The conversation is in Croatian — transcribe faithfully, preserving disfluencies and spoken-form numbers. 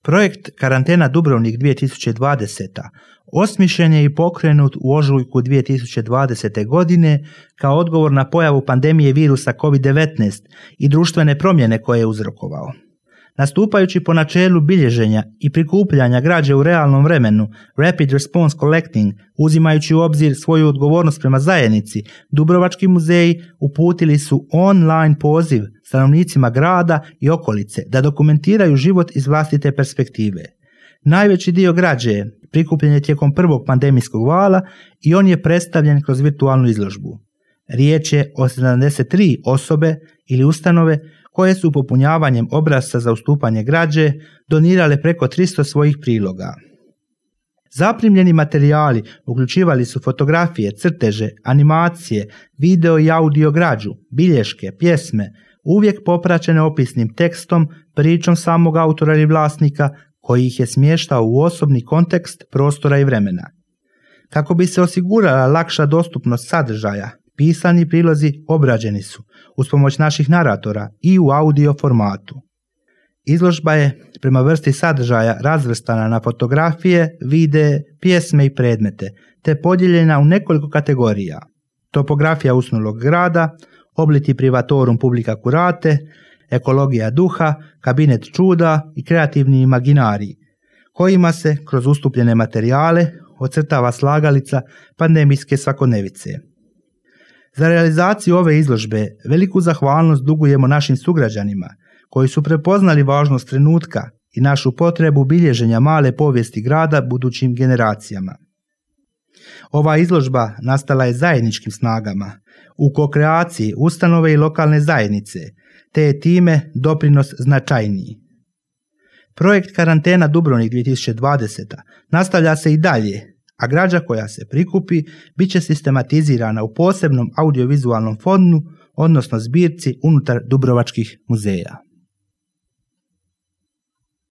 Projekt Karantena Dubrovnik dvije tisuće dvadeseta osmišljen je i pokrenut u ožujku dvije tisuće dvadesete. godine kao odgovor na pojavu pandemije virusa kovid devetnaest i društvene promjene koje je uzrokovao. Nastupajući po načelu bilježenja i prikupljanja građe u realnom vremenu, Rapid Response Collecting, uzimajući u obzir svoju odgovornost prema zajednici, Dubrovački muzeji uputili su online poziv stanovnicima grada i okolice da dokumentiraju život iz vlastite perspektive. Najveći dio građe prikupljen je tijekom prvog pandemijskog vala i on je predstavljen kroz virtualnu izložbu. Riječ je o sedamdeset tri osobe ili ustanove koje su popunjavanjem obrasca za ustupanje građe donirale preko tristo svojih priloga. Zaprimljeni materijali uključivali su fotografije, crteže, animacije, video i audio građu, bilješke, pjesme, uvijek popraćene opisnim tekstom, pričom samog autora ili vlasnika koji ih je smještao u osobni kontekst prostora i vremena. Kako bi se osigurala lakša dostupnost sadržaja, pisani prilozi obrađeni su uz pomoć naših naratora i u audio formatu. Izložba je prema vrsti sadržaja razvrstana na fotografije, videe, pjesme i predmete, te podijeljena u nekoliko kategorija: topografija usnulog grada, obliti privatorum publica curate, ekologija duha, kabinet čuda i kreativni imaginarij, kojima se kroz ustupljene materijale ocrtava slagalica pandemijske svakodnevice. Za realizaciju ove izložbe veliku zahvalnost dugujemo našim sugrađanima koji su prepoznali važnost trenutka i našu potrebu bilježenja male povijesti grada budućim generacijama. Ova izložba nastala je zajedničkim snagama u kokreaciji ustanove i lokalne zajednice, te je time doprinos značajniji. Projekt Karantena Dubrovnik dvije tisuće dvadeseta nastavlja se i dalje, a građa koja se prikupi bit će sistematizirana u posebnom audiovizualnom fondu, odnosno zbirci unutar Dubrovačkih muzeja.